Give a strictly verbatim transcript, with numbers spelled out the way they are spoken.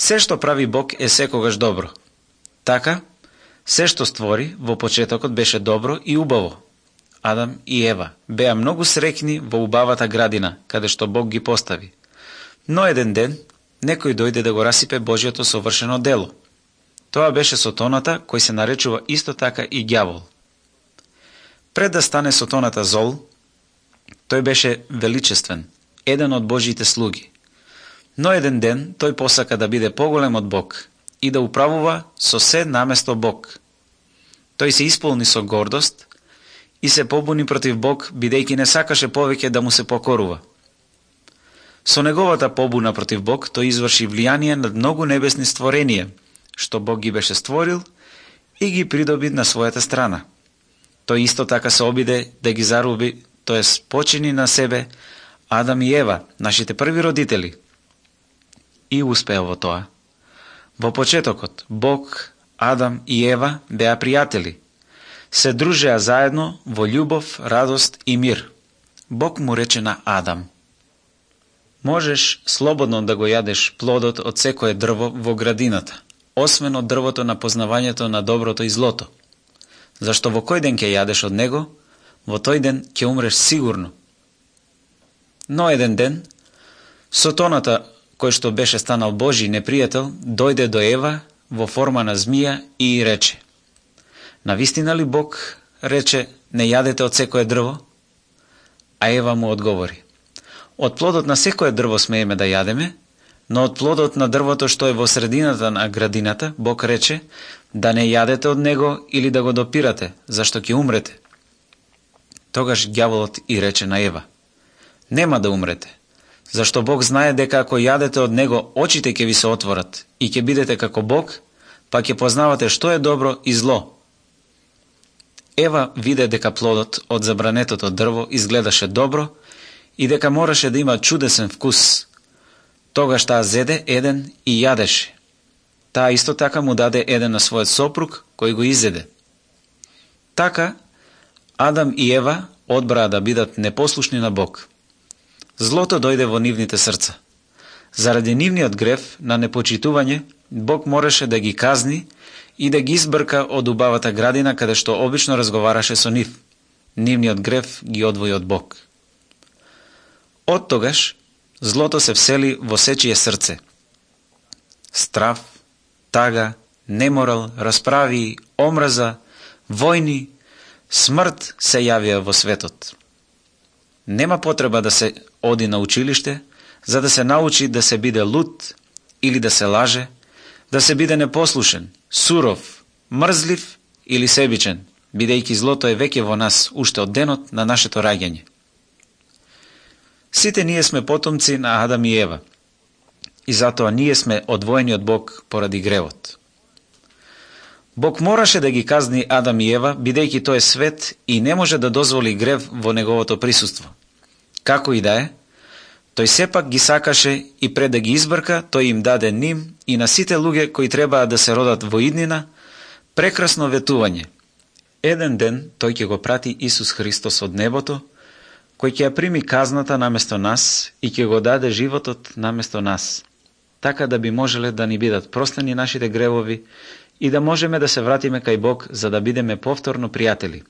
Се што прави Бог е секогаш добро. Така, се што створи во почетокот беше добро и убаво. Адам и Ева беа многу среќни во убавата градина, каде што Бог ги постави. Но еден ден, некој дојде да го расипе Божјото совршено дело. Тоа беше Сотоната, кој се наречува исто така и ѓавол. Пред да стане Сотоната зол, тој беше величествен, еден од Божјите слуги. Но еден ден тој посака да биде поголем од Бог и да управува со се наместо Бог. Тој се исполни со гордост и се побуни против Бог, бидејќи не сакаше повеќе да му се покорува. Со неговата побуна против Бог, тој изврши влијание над многу небесни створенија, што Бог ги беше створил и ги придоби на својата страна. Тој исто така се обиде да ги заруби, тоест почини на себе Адам и Ева, нашите први родители. И успеа во тоа. Во почетокот, Бог, Адам и Ева беа пријатели. Се дружеа заедно во љубов, радост и мир. Бог му рече на Адам: можеш слободно да го јадеш плодот од секое дрво во градината, освен од дрвото на познавањето на доброто и злото. Зашто во кој ден ќе јадеш од него, во тој ден ќе умреш сигурно. Но еден ден, Сотоната, кој што беше станал Божи непријател, дојде до Ева во форма на змија и рече: навистина ли Бог рече, не јадете од секое дрво? А Ева му одговори: од плодот на секое дрво смееме да јадеме, но од плодот на дрвото што е во средината на градината, Бог рече да не јадете од него или да го допирате, зашто ќе умрете. Тогаш ѓаволот и рече на Ева: нема да умрете, зашто Бог знае дека ако јадете од него, очите ќе ви се отворат и ќе бидете како Бог, па ќе познавате што е добро и зло. Ева виде дека плодот од забранетото дрво изгледаше добро и дека мораше да има чудесен вкус. Тогаш таа зеде еден и јадеше. Таа исто така му даде еден на својот сопруг, кој го изеде. Така, Адам и Ева одбраа да бидат непослушни на Бог. Злото дојде во нивните срца. Заради нивниот грев на непочитување, Бог мораше да ги казни и да ги избрка од убавата градина каде што обично разговараше со нив. Нивниот грев ги одвои од Бог. Од тогаш, злото се всели во сечие срце. Страв, тага, неморал, расправи, омраза, војни, смрт се јавија во светот. Нема потреба да се оди на училиште, за да се научи да се биде луд или да се лаже, да се биде непослушен, суров, мрзлив или себичен, бидејќи злото е веќе во нас уште од денот на нашето раѓање. Сите ние сме потомци на Адам и Ева, и затоа ние сме одвоени од Бог поради гревот. Бог мораше да ги казни Адам и Ева, бидејќи тој е свет и не може да дозволи грев во неговото присуство. Како и да е, тој сепак ги сакаше и пред да ги избрка, тој им даде ним и на сите луѓе кои требаа да се родат во иднина, прекрасно ветување. Еден ден тој ќе го прати Исус Христос од небото, кој ќе ја прими казната наместо нас и ќе го даде животот наместо нас, така да би можеле да ни бидат простени нашите гревови и да можеме да се вратиме кај Бог за да бидеме повторно пријатели.